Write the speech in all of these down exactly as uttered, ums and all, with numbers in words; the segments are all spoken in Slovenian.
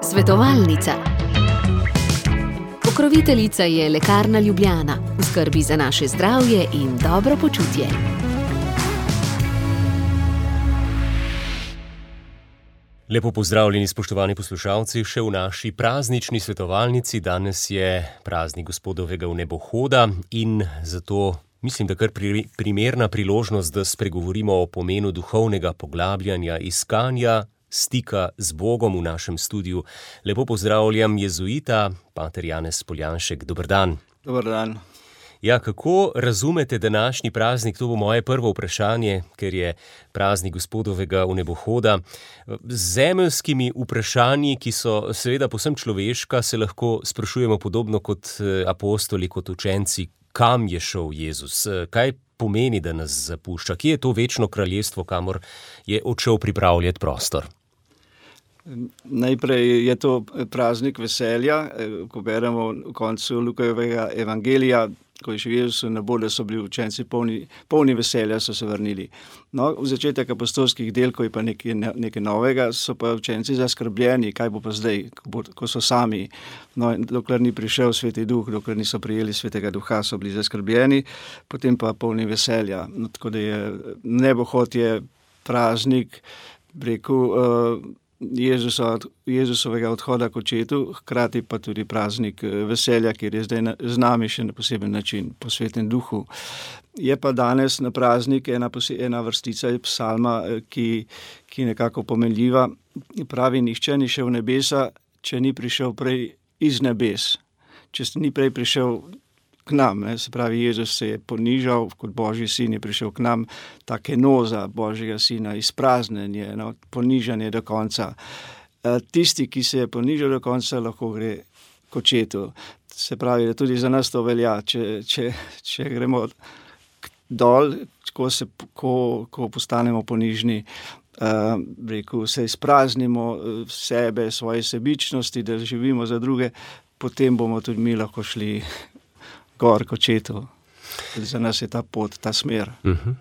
Svetovalnica. Pokroviteljica je Lekarna Ljubljana, v skrbi za naše zdravje in dobro počutje. Lepo pozdravljeni, spoštovani poslušalci, še v naši praznični svetovalnici. Danes je praznik Gospodovega vnebohoda in zato mislim, da kar primerna priložnost, da spregovorimo o pomenu duhovnega poglabljanja, iskanja stika z Bogom v našem studiu. Lepo pozdravljam jezuita, pater Janez Poljanšek. Dober dan. Dober dan. Ja, kako razumete današnji praznik? To bo moje prvo vprašanje, ker je praznik Gospodovega vnebohoda. Z zemeljskimi vprašanji, ki so seveda povsem človeška, se lahko sprašujemo podobno kot apostoli, kot učenci, kam je šel Jezus, kaj pomeni, da nas zapušča, kje je to večno kraljestvo, kamor je odšel pripravljati prostor. Najprej je to praznik veselja, ko beremo v koncu Lukajevega evangelija, ko je še Jezus v nebo, da so bili učenci polni, polni veselja, so se vrnili. No, v začetek apostolskih del, ko je pa nekaj, nekaj novega, so pa učenci zaskrbljeni, kaj bo pa zdaj, ko, bo, ko so sami. No, dokler ni prišel Sveti Duh, dokler niso prijeli Svetega Duha, so bili zaskrbljeni, potem pa polni veselja. No, tako da je nebohod je praznik, rekel, uh, Jezusa, Jezusovega odhoda k očetu, hkrati pa tudi praznik veselja, kjer je zdaj z nami še na poseben način, po Svetem Duhu. Je pa danes na praznik ena, ena vrstica psalma, ki, ki nekako pomenljiva. Pravi, nihče ni šel v nebesa, če ni prišel prej iz nebes. Če ni prej prišel k nam, ne? Se pravi, Jezus se je ponižal, kot Božji sin je prišel k nam, ta kenoza Božjega sina, izpraznjenje, no? Ponižanje do konca. Tisti, ki se je ponižal do konca, lahko gre k očetu. Se pravi, da tudi za nas to velja, če, če, če gremo dol, ko, se, ko, ko postanemo ponižni, uh, rekel, se izpraznimo sebe, svoje sebičnosti, da živimo za druge, potem bomo tudi mi lahko šli gor k očetu. Za nas je ta pot, ta smer. Uh-huh.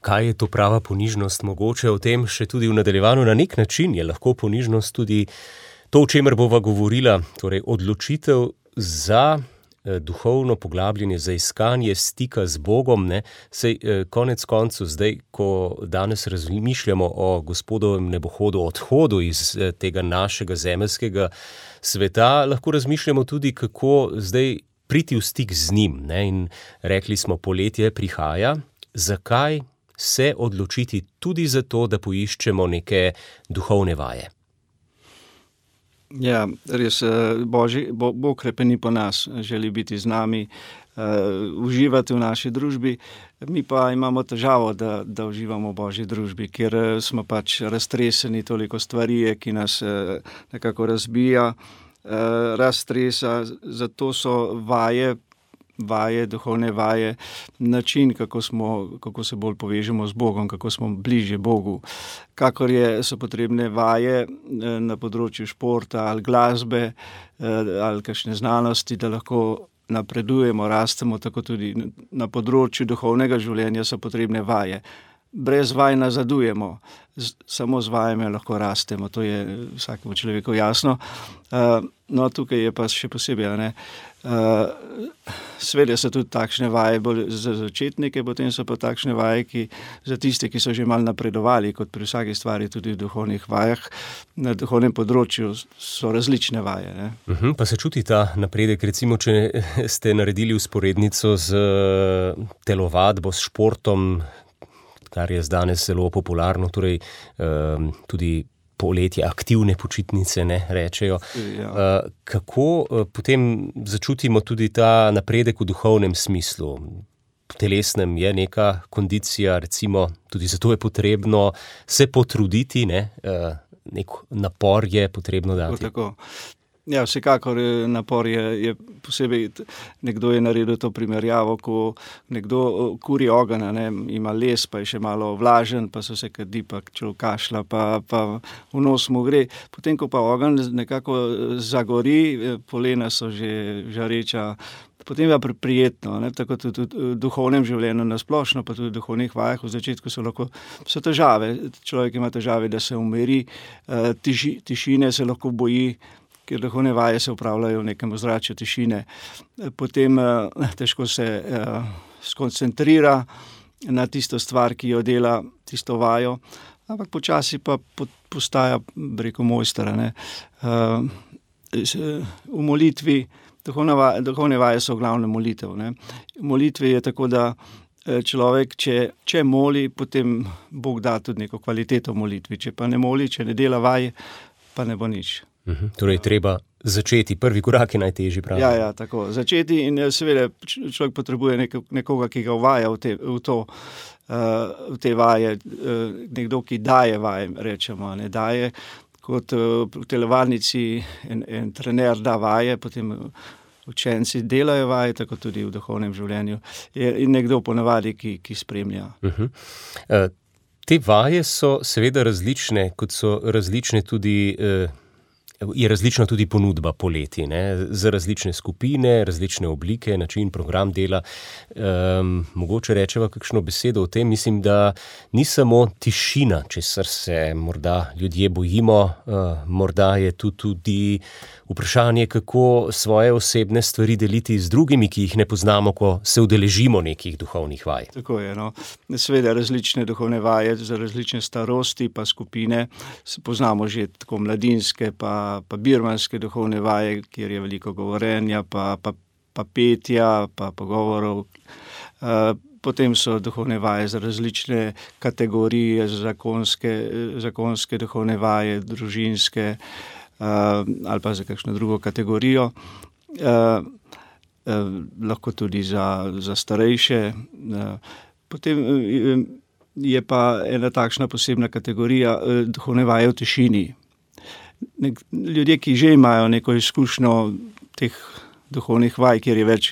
Kaj je to prava ponižnost? Mogoče o tem še tudi v nadaljevanju. Na nek način je lahko ponižnost tudi to, o čemer bova govorila, torej odločitev za eh, duhovno poglabljanje, za iskanje stika z Bogom. Ne? Sej eh, konec koncu zdaj, ko danes razmišljamo o Gospodovem nebohodu, odhodu iz eh, tega našega zemeljskega sveta, lahko razmišljamo tudi, kako zdaj priti v stik z njim, ne? In rekli smo, poletje prihaja, zakaj se odločiti tudi za to, da poiščemo neke duhovne vaje? Ja, res, Božji, Bo, Bog krepeni po nas, želi biti z nami, uh, uživati v naši družbi, mi pa imamo težavo, da, da uživamo v Božji družbi, ker smo pač raztreseni, toliko stvari, ki nas uh, nekako razbija, Uh, raztresa, zato so vaje, vaje, duhovne vaje, način, kako, smo, kako se bolj povežemo z Bogom, kako smo bližje Bogu. Kakor je, so potrebne vaje na področju športa ali glasbe ali kakšne znanosti, da lahko napredujemo, rastemo, tako tudi na področju duhovnega življenja so potrebne vaje. Brez vaj nazadujemo, z, samo z vajami lahko rastemo, to je vsakemu človeku jasno. Uh, no, tukaj je pa še posebej, ne, uh, sveda so tudi takšne vaje bolj za začetnike, potem so pa takšne vaje, ki za tiste, ki so že malo napredovali, kot pri vsaki stvari tudi v duhovnih vajah, na duhovnem področju so različne vaje. Ne. Uh-huh, pa se čuti ta napredek, recimo, če ste naredili vzporednico z telovadbo, s športom, kar je danes zelo popularno, torej um, tudi poletje, aktivne počitnice, ne, rečejo. Ja. Uh, kako uh, potem začutimo tudi ta napredek v duhovnem smislu? V telesnem je neka kondicija, recimo, tudi zato je potrebno se potruditi, ne, uh, nek napor je potrebno dati. Tako. Ja, vsekakor napor je, je posebej, nekdo je naredil to primerjavo, ko nekdo kuri ogenj, ne, ima les, pa je še malo vlažen, pa so se kadi, pa človek kašlja, pa, pa v nos mu gre. Potem, ko pa ogenj nekako zagori, polena so že žareča, potem je pa prijetno, ne? Tako tudi v duhovnem življenju nasplošno, pa tudi v duhovnih vajah v začetku so lahko so težave. Človek ima težave, da se umiri, tiši, tišine se lahko boji, ker duhovne vaje se upravljajo v nekem ozračju tišine. Potem težko se skoncentrira na tisto stvar, ki jo dela, tisto vajo, ampak počasi pa postaja, bi rekel, mojster, ne. V molitvi, duhovne vaje so glavne molitev, ne. V molitvi je tako, da človek, če, če moli, potem Bog da tudi neko kvaliteto v molitvi. Če pa ne moli, če ne dela vaje, pa ne bo nič. Uhum. Torej, treba začeti. Prvi korak je najtežji, pravi. Ja, ja, tako. Začeti in seveda človek potrebuje neko, nekoga, ki ga uvaja v, te, v to, uh, v te vaje. Uh, nekdo, ki daje vaje, rečemo, ne daje. Kot uh, v telovadnici en, en trener da vaje, potem učenci delajo vaje, tako tudi v duhovnem življenju. Je, in nekdo ponavadi, ki, ki spremlja. Uhum. Uh, te vaje so seveda različne, kot so različne tudi... Uh, Je različna tudi ponudba poleti, ne? Za različne skupine, različne oblike, način, program dela. Um, mogoče rečeva kakšno besedo o tem. Mislim, da ni samo tišina, česar se morda ljudje bojimo, uh, morda je tu tudi vprašanje, kako svoje osebne stvari deliti z drugimi, ki jih ne poznamo, ko se udeležimo nekih duhovnih vaj. Tako je, no. Seveda različne duhovne vaje za različne starosti pa skupine. Poznamo že tako mladinske pa pa birmanske duhovne vaje, kjer je veliko govorenja, pa, pa, pa petja, pa pogovorov. Uh, potem so duhovne vaje za različne kategorije, zakonske, zakonske duhovne vaje, družinske uh, ali pa za kakšno drugo kategorijo. Uh, uh, lahko tudi za, za starejše. Uh, potem uh, je pa ena takšna posebna kategorija uh, duhovne vaje v tišini. Nek, ljudje, ki že imajo neko izkušnjo teh duhovnih vaj, kjer je več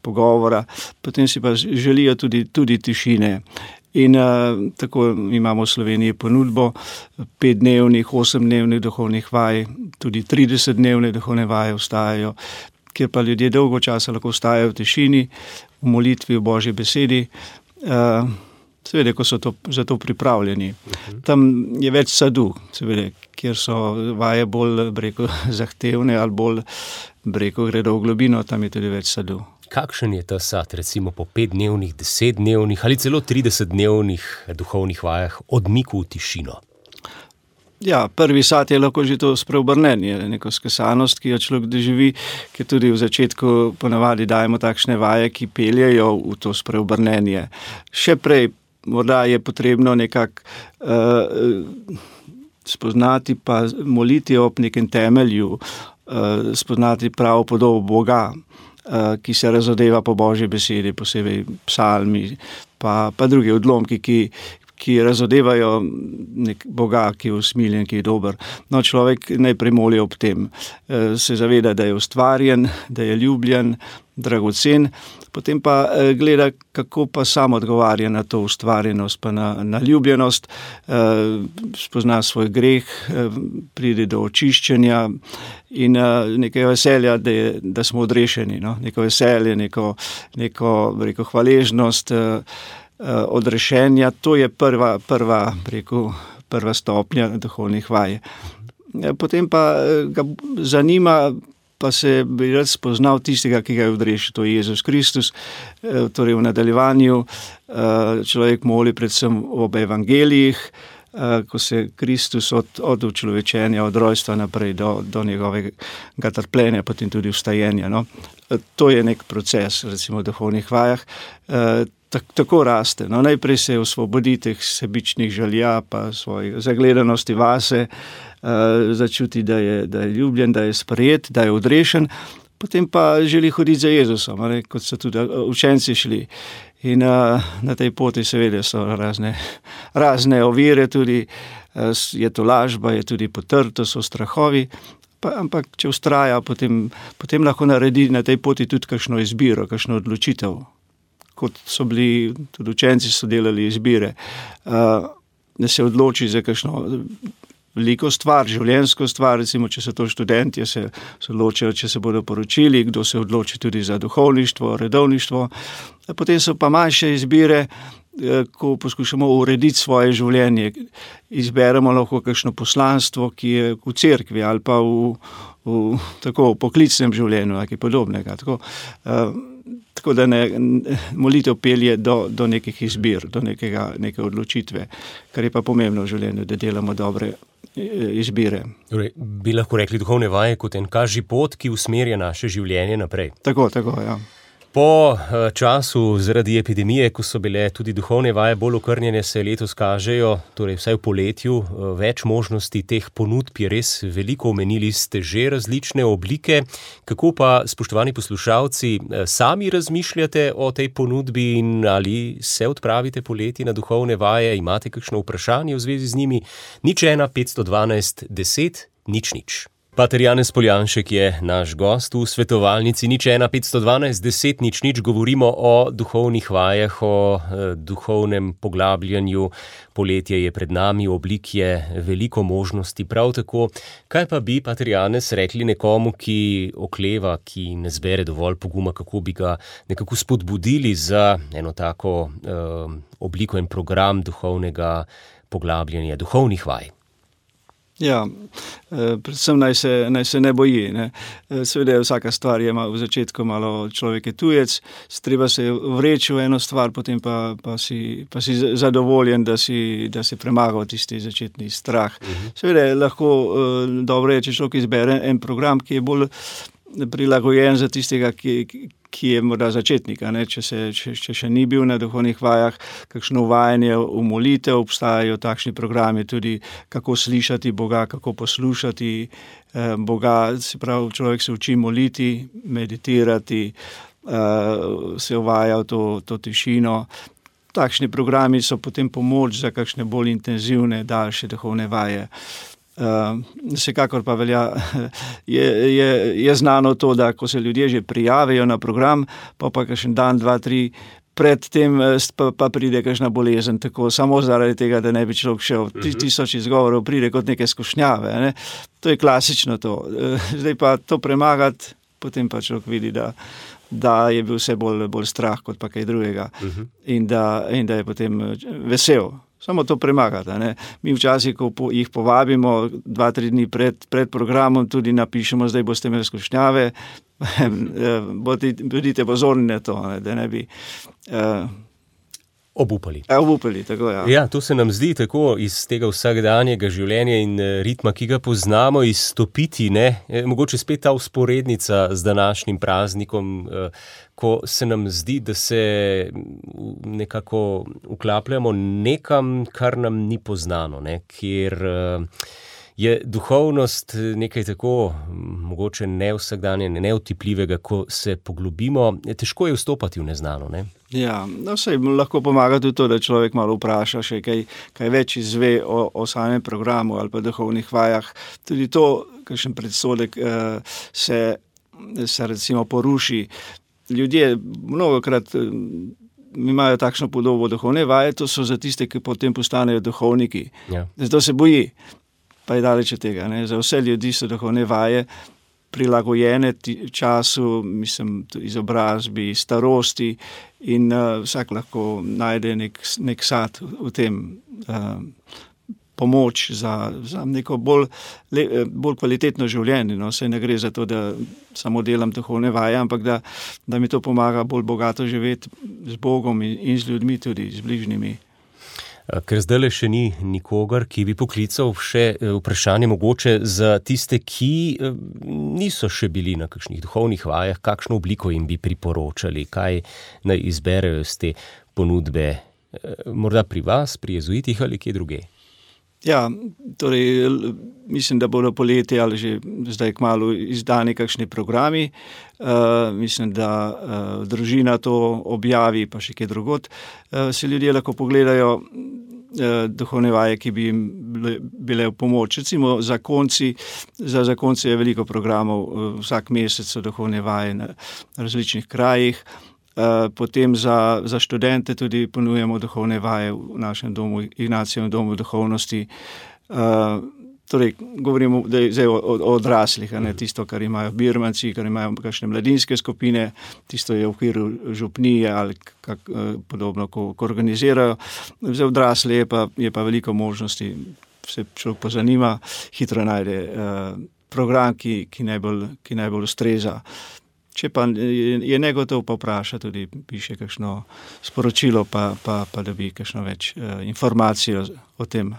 pogovora, potem si pa želijo tudi, tudi tišine. In uh, tako imamo v Sloveniji ponudbo petdnevnih, osemdnevnih duhovnih vaj, tudi tridesetdnevne duhovne vaje vstajajo, kjer pa ljudje dolgo časa lahko vstajajo v tišini, v molitvi, v Božji besedi. Uh, Seveda, ko so to, za to pripravljeni. Tam je več sadu, seveda, kjer so vaje bolj, breko, zahtevne ali bolj, breko, gredo v globino, tam je tudi več sadu. Kakšen je ta sad, recimo po petdnevnih, desetdnevnih ali celo tridesetdnevnih duhovnih vajah odmiku v tišino? Ja, prvi sad je lahko že to spreobrnenje, neko skesanost, ki jo človek doživi, ki tudi v začetku ponavadi dajemo takšne vaje, ki peljejo v to spreobrnenje. Še prej morda je potrebno nekako uh, spoznati pa moliti ob nekem temelju, uh, spoznati pravo podobo Boga, uh, ki se razodeva po Božji besedi, posebej psalmi, pa, pa drugi odlomki, ki, ki razodevajo nek Boga, ki je usmiljen, ki je dober. No, človek najprej moli ob tem. Uh, se zaveda, da je ustvarjen, da je ljubljen, dragocen, potem pa gleda, kako pa sam odgovarja na to ustvarjenost, pa na, na ljubljenost, eh, spozna svoj greh, eh, pride do očiščenja in eh, nekaj veselja, da, je, da smo odrešeni, no? Neko veselje, neko, neko rekel, hvaležnost eh, eh, odrešenja, to je prva, prva, rekel, prva stopnja duhovnih vaj. Eh, potem pa eh, ga zanima, pa se bi rad spoznal tistega, ki ga je odrešil, to je Jezus Kristus. Torej v nadaljevanju človek moli predvsem ob evangelijih, ko se Kristus od, od učlovečenja, od rojstva naprej do, do njegovega trpljenja, potem tudi vstajenja. No? To je nek proces, recimo v duhovnih vajah. Tako raste. No, najprej se osvobodi teh sebičnih želja, pa svoje zagledanosti vase, uh, začuti, da je, da je ljubljen, da je sprejet, da je odrešen, potem pa želi hoditi za Jezusom, ne, kot so tudi učenci šli. In uh, na tej poti seveda so razne, razne ovire, tudi uh, je to lažba, je tudi potrto, so strahovi, pa, ampak če vztraja, potem, potem lahko naredi na tej poti tudi kakšno izbiro, kakšno odločitev. Kot so bili, tudi učenci so delali izbire, uh, da se odloči za kakšno veliko stvar, življenjsko stvar, recimo, če so to študentje, se, se odločijo, če se bodo poročili, kdo se odloči tudi za duhovništvo, redovništvo. Potem so pa manjše izbire, ko poskušamo urediti svoje življenje. Izberemo lahko kakšno poslanstvo, ki je v cerkvi ali pa v, v, tako, v poklicnem življenju, ali kaj podobnega. Tako, uh, tako da ne, molitev pelje do, do nekih izbir, do nekega, neke odločitve, kar je pa pomembno v življenju, da delamo dobre izbire. Torej, bi lahko rekli duhovne vaje kot en kaži pot, ki usmerja naše življenje naprej. Tako, tako, ja. Po času zaradi epidemije, ko so bile tudi duhovne vaje bolj okrnjene, se letos kažejo, torej vsaj v poletju, več možnosti teh ponudb je res veliko. Omenili ste že različne oblike. Kako pa, spoštovani poslušalci, sami razmišljate o tej ponudbi in ali se odpravite poleti na duhovne vaje? Imate kakšno vprašanje v zvezi z njimi? Nič ena, petsto dvanajst, deset, nič nič. Pater Janez Poljanšek je naš gost v svetovalnici nič ena, petsto dvanajst, deset, nič nič. Govorimo o duhovnih vajah, o eh, duhovnem poglabljanju. Poletje je pred nami, oblik je veliko možnosti. Prav tako, kaj pa bi, Pater Janez, rekli nekomu, ki okleva, ki ne zbere dovolj poguma, kako bi ga nekako spodbudili za eno tako eh, obliko in program duhovnega poglabljanja, duhovnih vaj? Ja, predvsem naj se, naj se ne boji. Ne. Seveda je vsaka stvar je v začetku malo človek je tujec, treba se vreči v eno stvar, potem pa, pa, si, pa si zadovoljen, da si, da si premagal tisti začetni strah. Uh-huh. Seveda je lahko dobro je, če človek izbere en program, ki je bolj prilagojen za tistega, ki, ki je morda začetnika. Ne? Če, se, če, če še ni bil na duhovnih vajah, kakšno uvajanje v molitev, obstajajo takšni programi tudi, kako slišati Boga, kako poslušati eh, Boga. Se pravi, človek se uči moliti, meditirati, eh, se uvaja v to, to tišino. Takšni programi so potem pomoč za kakšne bolj intenzivne, daljše duhovne vaje. Uh, vsekakor pa velja, je, je, je znano to, da ko se ljudje že prijavijo na program, pa pa kakšen dan, dva, tri, predtem pa, pa pride kakšna bolezen, tako samo zaradi tega, da ne bi človek šel. Tisoč izgovorov pride kot neke skušnjave. Ne? To je klasično to. Zdaj pa to premagati, potem pa človek vidi, da, da je bil vse bolj, bolj strah kot pa kaj drugega. Uh-huh. In, da, in da je potem vesel. Samo to premagati. Ne? Mi včasih, ko po, jih povabimo dva, tri dni pred, pred programom, tudi napišemo, zdaj boste imeli skušnjave, bodite pozorni na to, ne? Da ne bi uh, obupali. Obupali, tako ja. Ja, to se nam zdi tako iz tega vsakdanjega življenja in ritma, ki ga poznamo, izstopiti, ne? Mogoče spet ta vzporednica z današnjim praznikom, ko se nam zdi, da se nekako vklapljamo nekam, kar nam ni poznano, ne? Kjer je duhovnost nekaj tako mogoče nevsakdanje, neotipljivega, ko se poglobimo, težko je vstopati v neznano, ne? Ja, no sej lahko pomaga tudi to, da človek malo vpraša še kaj, kaj več izve o, o samem programu ali pa duhovnih vajah. Tudi to, kakšen predsodek uh, se, se recimo poruši. Ljudje mnogokrat uh, imajo takšno podobo duhovne vaje, to so za tiste, ki potem postanejo duhovniki. Ja. Zato se boji, pa je daleč od tega. Ne? Za vse ljudi so duhovne vaje prilagojene času, mislim, izobrazbi, starosti in uh, vsak lahko najde nek, nek sad v tem uh, pomoč za, za neko bolj, le, bolj kvalitetno življenje. No? Saj ne gre za to, da samo delam duhovne vaje, ampak da, da mi to pomaga bolj bogato živeti z Bogom in, in z ljudmi tudi, z bližnjimi. Ker zdaj še ni nikogar, ki bi poklical še vprašanje mogoče za tiste, ki niso še bili na kakšnih duhovnih vajah, kakšno obliko jim bi priporočali, kaj naj izberejo z te ponudbe, morda pri vas, pri jezuitih ali kje druge? Ja, torej mislim, da bodo poleti ali že zdaj kmalu izdani kakšni programi. Uh, mislim, da uh, družina to objavi, pa še kje drugod. Uh, se ljudje lahko pogledajo uh, duhovne vaje, ki bi jim bile, bile v pomoč. Recimo zakonci, za zakonce je veliko programov, uh, vsak mesec so duhovne vaje na različnih krajih. Uh, potem za, za študente tudi ponujemo duhovne vaje v našem domu, Ignacijevem domu duhovnosti. Uh, Torej, govorimo zdaj o, o odraslih, a ne tisto, kar imajo birmanci, kar imajo kakšne mladinske skupine, tisto je v okviru župnije ali kak, podobno, ko, ko organizirajo. Za odrasle je pa, je pa veliko možnosti, se človek pozanima, hitro najde uh, program, ki, ki, najbolj, ki najbolj ustreza. Če pa je, je negotov, pa vpraša tudi, piše kakšno sporočilo, pa, pa, pa dobi kakšno več uh, informacij o, o tem.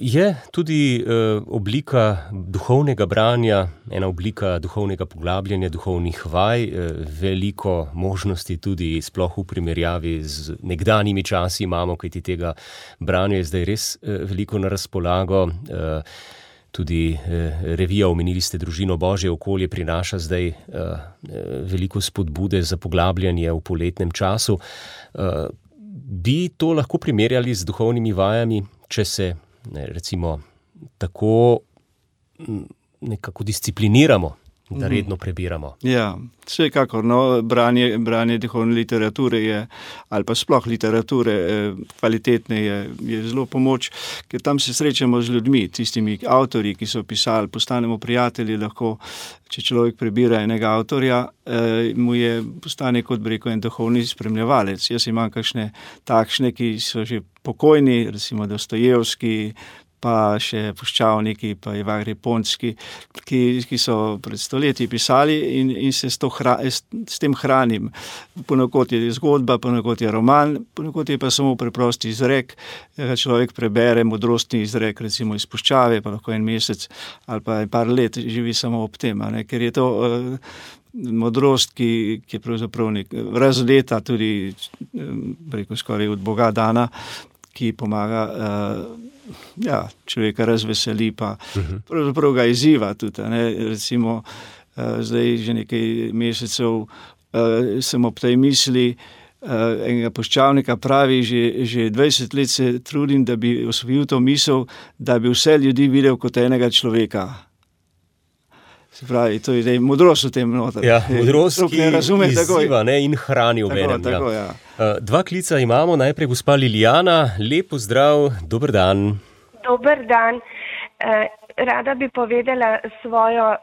Je tudi uh, oblika duhovnega branja, ena oblika duhovnega poglabljanja, duhovnih vaj, uh, veliko možnosti tudi sploh v primerjavi z nekdanjimi časi imamo, kajti tega branja je zdaj res uh, veliko na razpolago. Uh, Tudi eh, revija, omenili ste Družino Božje okolje, prinaša zdaj eh, veliko spodbude za poglabljanje v poletnem času. Eh, bi to lahko primerjali z duhovnimi vajami, če se ne, recimo tako nekako discipliniramo, da redno prebiramo? Ja, vsekakor, no, branje, branje duhovne literature je, ali pa sploh literature eh, kvalitetne je, je zelo pomoč, ker tam se srečamo z ljudmi, tistimi avtorji, ki so pisali, postanemo prijatelji, lahko, če človek prebira enega avtorja, eh, mu je postane kot bi rekel en duhovni spremljevalec. Jaz imam kakšne takšne, ki so že pokojni, recimo Dostojevski, pa še Puščavniki, pa Ivan Ponski, ki, ki so pred stoletji pisali in, in se s, to hra, s, s tem hranim. Ponekod je zgodba, ponekod je roman, ponekod je pa samo preprosti izrek. Človek prebere modrostni izrek, recimo iz Puščave, pa lahko en mesec ali pa par let živi samo ob tem, ne? Ker je to uh, modrost, ki, ki je pravzaprav nek razleta tudi, preko skoraj od Boga dana, ki pomaga uh, ja, človeka razveseli, pa uh-huh. pravzaprav ga izziva tudi. Ne? Recimo, uh, zdaj že nekaj mesecev uh, sem ob tej misli uh, enega Puščavnika pravi, že, že dvajset let se trudim, da bi osvojil to misel, da bi vse ljudi videl kot enega človeka. Se pravi, to je modrost v tem noter. Ja, modrost, ki razume, izziva ne, in hrani obenem. Tako, ja. Ja. Dva klica imamo, najprej gospa Liljana, lep pozdrav, dober dan. Dober dan. Rada bi povedala svojo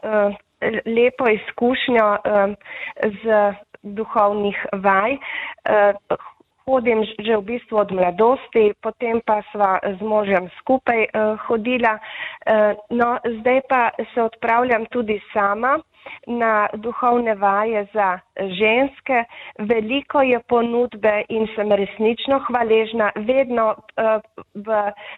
lepo izkušnjo z duhovnih vaj. Hodim že v bistvu od mladosti, potem pa sva z možem skupaj uh, hodila. Uh, no, zdaj pa se odpravljam tudi sama na duhovne vaje za ženske. Veliko je ponudbe in sem resnično hvaležna. Vedno uh, v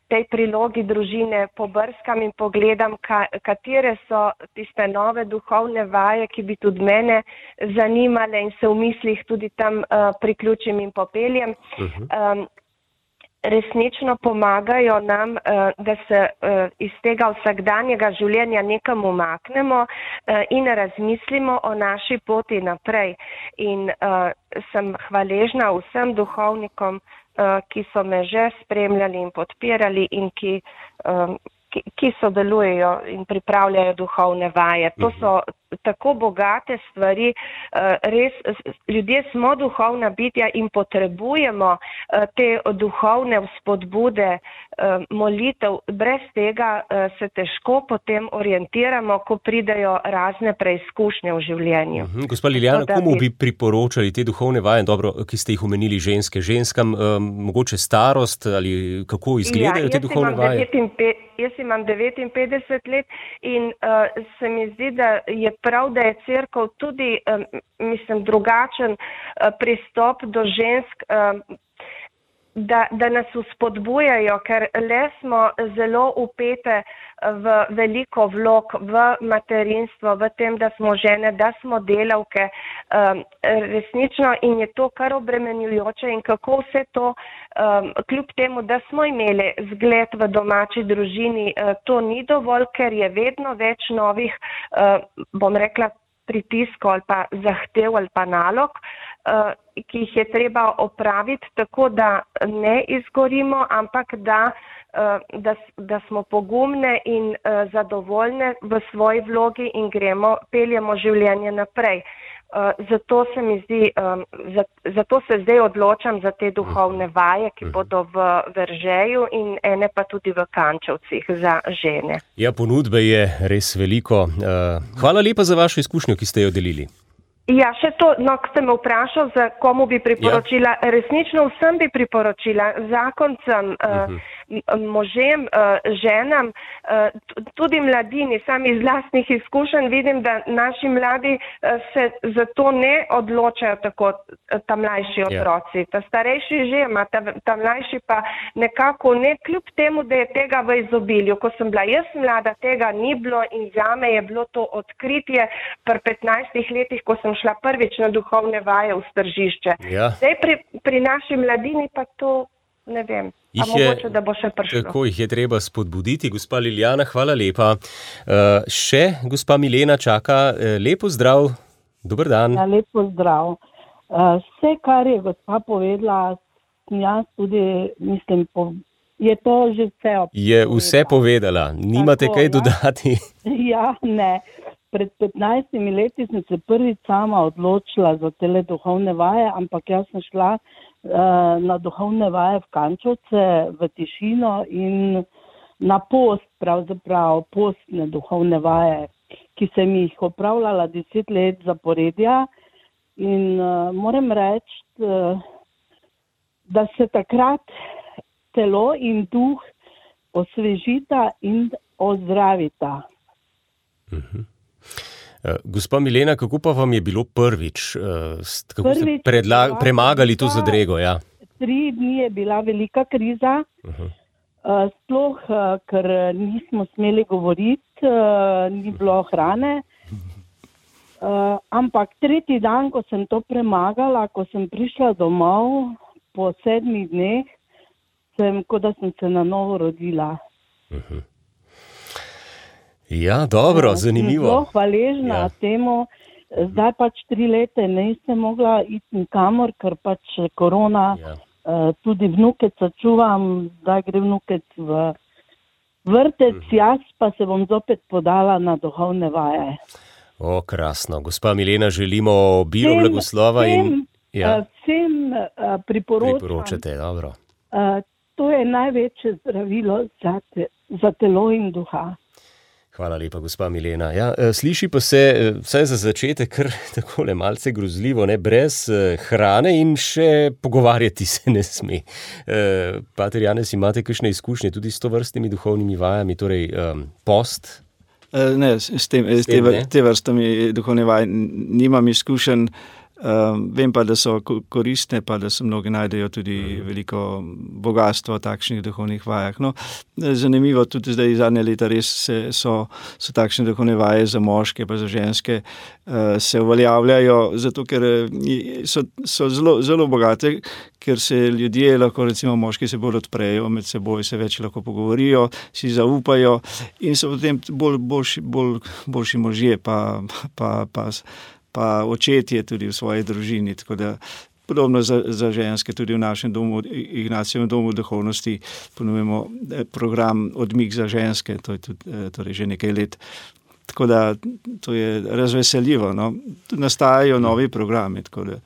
tej prilogi družine pobrskam in pogledam, ka, katere so tiste nove duhovne vaje, ki bi tudi mene zanimale in se v mislih tudi tam uh, priključim in popeljem. Uh-huh. Um, resnično pomagajo nam, da se iz tega vsakdanjega življenja nekam umaknemo in razmislimo o naši poti naprej. In sem hvaležna vsem duhovnikom, ki so me že spremljali in podpirali in ki, ki, ki sodelujejo in pripravljajo duhovne vaje. To so tako bogate stvari, res ljudje smo duhovna bitja in potrebujemo te duhovne vzpodbude, molitev. Brez tega se težko potem orientiramo, ko pridejo razne preizkušnje v življenju. Uh-huh. Gospa Liljana, komu bi priporočali te duhovne vaje, dobro, ki ste jih omenili ženske, ženskam, um, mogoče starost ali kako izgledajo ja, te duhovne vaje? Jaz imam devetinpetdeset let in uh, se mi zdi, da je prav, da je cerkev tudi, um, mislim, drugačen uh, pristop do žensk, um, da, da nas vzpodbujajo, ker le smo zelo upete v veliko vlog, v materinstvo, v tem, da smo žene, da smo delavke, um, resnično in je to kar obremenjujoče in kako vse to, um, kljub temu, da smo imeli zgled v domači družini, uh, to ni dovolj, ker je vedno več novih, uh, bom rekla, pritiskov ali pa zahtev ali pa nalog, uh, ki jih je treba opraviti, tako da ne izgorimo, ampak da, uh, da, da smo pogumne in uh, zadovoljne v svoji vlogi in gremo, peljemo življenje naprej. Uh, zato se mi zdi, um, za, zato se zdaj odločam za te duhovne vaje, ki bodo v Veržeju in ene pa tudi v Kančevcih za žene. Ja, ponudbe je res veliko. Uh, hvala lepa za vašo izkušnjo, ki ste jo delili. Ja, še to, no, ko ste me vprašal, za komu bi priporočila, ja. Resnično vsem bi priporočila, zakoncem, uh-huh. uh, možem, uh, ženam, uh, tudi mladini, sami iz lastnih izkušenj vidim, da naši mladi uh, se zato ne odločajo tako, ta mlajši otroci. Ja. Ta starejši že ima, ta, ta mlajši pa nekako ne, kljub temu, da je tega v izobilju. Ko sem bila jaz mlada, tega ni bilo in zame je bilo to odkritje pri petnajstih letih, ko sem šla prvič na duhovne vaje v Stržišče. Ja. Zdaj pri, pri naši mladini pa to ne vem. A mogoče, da bo še prišlo. Tako jih je treba spodbuditi. Gospa Liljana, hvala lepa. Uh, še gospa Milena čaka. Uh, lepo zdrav. Dober dan. Ja, lepo zdrav. Uh, vse, kar je gospa povedala, jaz tudi mislim, po, je to že vse povedala. Je vse povedala. Nimate Tako, kaj ja? dodati? Ja, ne. Pred petnajstimi leti sem se prvič sama odločila za tele duhovne vaje, ampak jaz sem šla uh, na duhovne vaje v Kančevce, v tišino in na post, pravzaprav postne duhovne vaje, ki sem jih opravljala deset let zaporedja. In uh, moram reči, uh, da se takrat telo in duh osvežita in ozdravita. Mhm. Uh, gospa Milena, kako pa vam je bilo prvič? Uh, kako prvič ste predla- premagali to zadrego? Ja? Tri dni je bila velika kriza, uh-huh. uh, sploh, uh, ker nismo smeli govoriti, uh, ni bilo hrane. Uh, ampak tretji dan, ko sem to premagala, ko sem prišla domov po sedmih dneh, sem, kot da sem se na novo rodila. Uh-huh. Ja, dobro, zanimivo. Zelo hvaležna ja. temu. Zdaj pač tri leta nisem mogla iti nikamor, ker pač korona, ja. uh, tudi vnukeca čuvam, zdaj gre vnukec v vrtec, mhm. jaz pa se bom zopet podala na duhovne vaje. O, krasno. Gospa Milena, želimo obilo blagoslova in... Ja. Vsem uh, priporočam. Priporočate, dobro. Uh, to je največje zdravilo za, te, za telo in duha. Hvala lepa, gospa Milena. Ja, sliši pa se, vsaj za začetek, kar takole malce grozljivo, ne, brez hrane in še pogovarjati se ne sme. Pater Janez, imate kakšne izkušnje tudi s tovrstnimi duhovnimi vajami, torej um, post? Ne, s, tem, s, s tem, te, te vrstami duhovne vaje nimam izkušenj. Um, vem pa, da so koristne, pa da se mnogi najdejo tudi veliko bogatstvo v takšnih duhovnih vajah. No, zanimivo, tudi zdaj zadnje leta res se, so, so takšne duhovne vaje za moške pa za ženske uh, se uveljavljajo, zato ker so, so zelo, zelo bogate, ker se ljudje lahko, recimo moški se bolj odprejo med seboj, se več lahko pogovorijo, si zaupajo in so potem bolj, boljši, bolj, boljši možje pa, pa, pa pa očetje tudi v svoji družini, tako da podobno za, za ženske tudi v našem domu, Ignacijevem domu duhovnosti ponujemo program Odmik za ženske, to je tudi torej že nekaj let. Tako da to je razveseljivo, no. Nastajajo novi programi, tako da.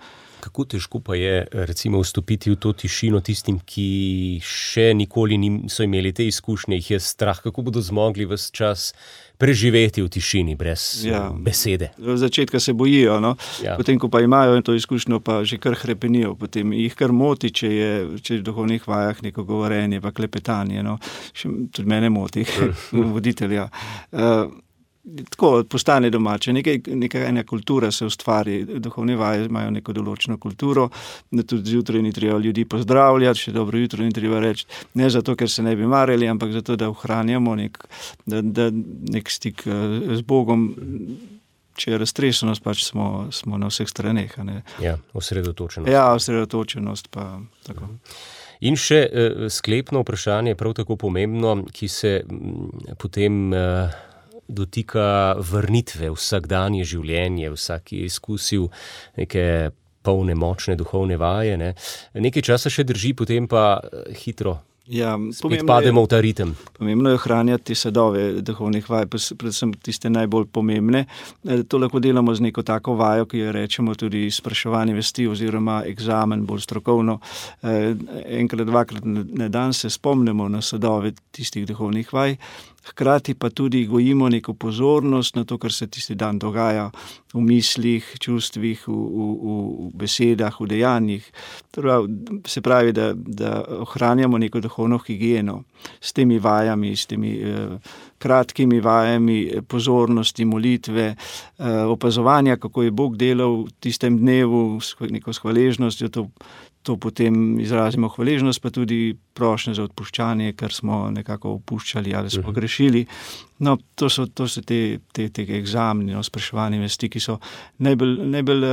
Kako težko pa je recimo vstopiti v to tišino tistim, ki še nikoli niso imeli te izkušnje, jih je strah, kako bodo zmogli ves čas preživeti v tišini brez ja. besede. V začetka se bojijo, no? Ja. Potem, ko pa imajo to izkušnjo, pa že kar hrepenijo, potem jih kar moti, če je, če je v duhovnih vajah neko govorenje, pa klepetanje, no? Še, tudi mene moti, voditelja. Uh, Tako postane domače, nekaj, nekaj ena kultura se ustvari, duhovne vaje imajo neko določeno kulturo, da tudi zjutraj ni treba ljudi pozdravljati, še dobro jutro ni treba reči, ne zato, ker se ne bi marili, ampak zato, da ohranjamo nek, da, da nek stik z Bogom, če je raztresenost, pač smo, smo na vseh straneh. Ne? Ja, osredotočenost. Ja, osredotočenost pa tako. In še eh, sklepno vprašanje, prav tako pomembno, ki se m, potem... Eh, dotika vrnitve vsakdanje življenje, vsak je izkusil neke polne, močne duhovne vaje, ne. Nekaj časa še drži, potem pa hitro Ja, spet pademo v ta ritem. Pomembno je ohranjati te sadove duhovnih vaj, predvsem tiste najbolj pomembne. To lahko delamo z neko tako vajo, ki jo rečemo tudi spraševanje vesti oziroma egzamen, bolj strokovno. Enkrat, dvakrat na dan se spomnimo na sadove tistih duhovnih vaj, hkrati pa tudi gojimo neko pozornost na to, kar se tisti dan dogaja v mislih, čustvih, v, v, v besedah, v dejanjih. Se pravi, da, da ohranjamo neko duhovno higieno s temi vajami, s temi eh, kratkimi vajami pozornosti, molitve, eh, opazovanja, kako je Bog delal v tistem dnevu, s neko hvaležnostjo, to To potem izrazimo hvaležnost, pa tudi prošnje za odpuščanje, ker smo nekako opuščali ali smo grešili. No, to so, to so te, te, te egzamni, no, spraševanje vesti, ki so najbolj, najbolj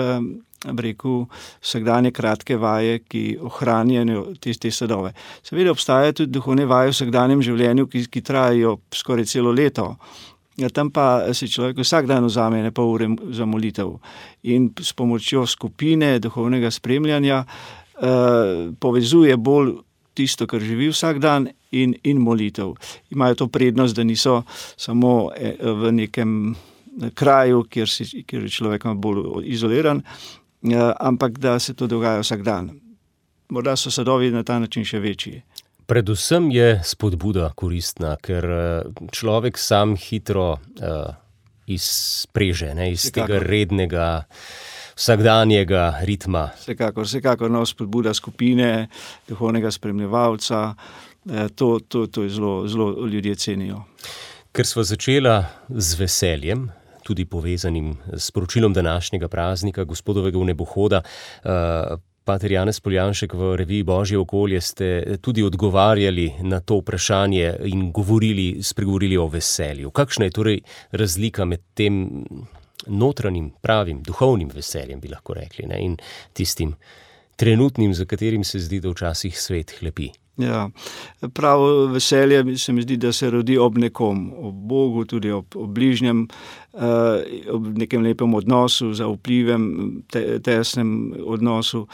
bi rekel, vsakdanje kratke vaje, ki ohranjajo te, te sadove. Seveda obstajajo tudi duhovne vaje v vsakdanjem življenju, ki, ki trajajo skoraj celo leto. Ja, tam pa se človek vsak dan vzame ne pol ure za molitev in s pomočjo skupine duhovnega spremljanja Uh, povezuje bolj tisto, kar živi vsak dan in, in molitev. Imajo to prednost, da niso samo v nekem kraju, kjer, si, kjer je človek bolj izoliran, uh, ampak da se to dogaja vsak dan. Morda so sadovi na ta način še večji. Predvsem je spodbuda koristna, ker človek sam hitro uh, izpreže, ne, iz Vsekakor. tega rednega vsakdanjega ritma. Vsekakor, vsekakor no, spodbuda skupine, duhovnega spremljevalca, to, to, to je zelo, zelo ljudje cenijo. Ker sva začela z veseljem, tudi povezanim s poročilom današnjega praznika, gospodovega vnebohoda, pater Janez Poljanšek, v reviji Božje okolje ste tudi odgovarjali na to vprašanje in govorili, spregovorili o veselju. Kakšna je torej razlika med tem notranjim, pravim, duhovnim veseljem, bi lahko rekli, ne? In tistim trenutnim, za katerim se zdi, da včasih svet hlepi? Ja, pravo veselje se mi zdi, da se rodi ob nekom, ob Bogu, tudi ob, ob bližnjem, eh, ob nekem lepem odnosu, zaupljivem, te, tesnem odnosu.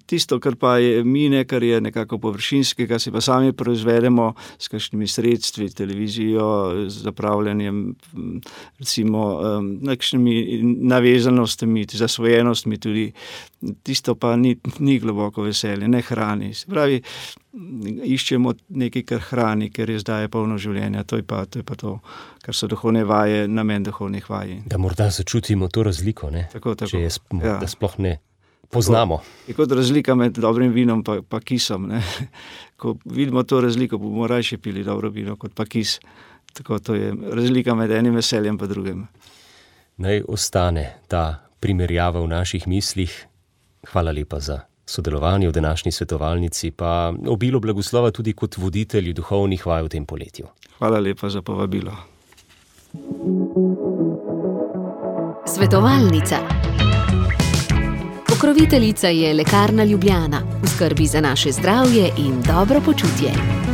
Tisto, kar pa je mine, kar je nekako površinskega, si pa sami proizvedemo s kakšnimi sredstvi, televizijo, z zapravljanjem, recimo, eh, nekšnimi navezanostmi, zasvojenostmi tudi. Tisto pa ni, ni globoko veselje, ne hrani. Se pravi, iščemo nekaj, kar hrani, ker je zdaj polno življenja. To je pa to, je pa to kar so duhovne vaje, namen duhovnih vaj. Da morda začutimo to razliko, ne? Tako, tako. Če je, ja. Da sploh ne poznamo. Je kot razlika med dobrim vinom pa, pa kisom. Ne? Ko vidimo to razliko, bomo rajši pili dobro vino kot pa kis. Tako, to je razlika med enim veseljem pa drugim. Naj ostane ta primerjava v naših mislih. Hvala lepa za sodelovanje v današnji svetovalnici, pa obilo blagoslova tudi kot voditelji duhovnih vaj v tem poletju. Hvala lepa za povabilo. Svetovalnica. Pokroviteljica je Lekarna Ljubljana, v skrbi za naše zdravje in dobro počutje.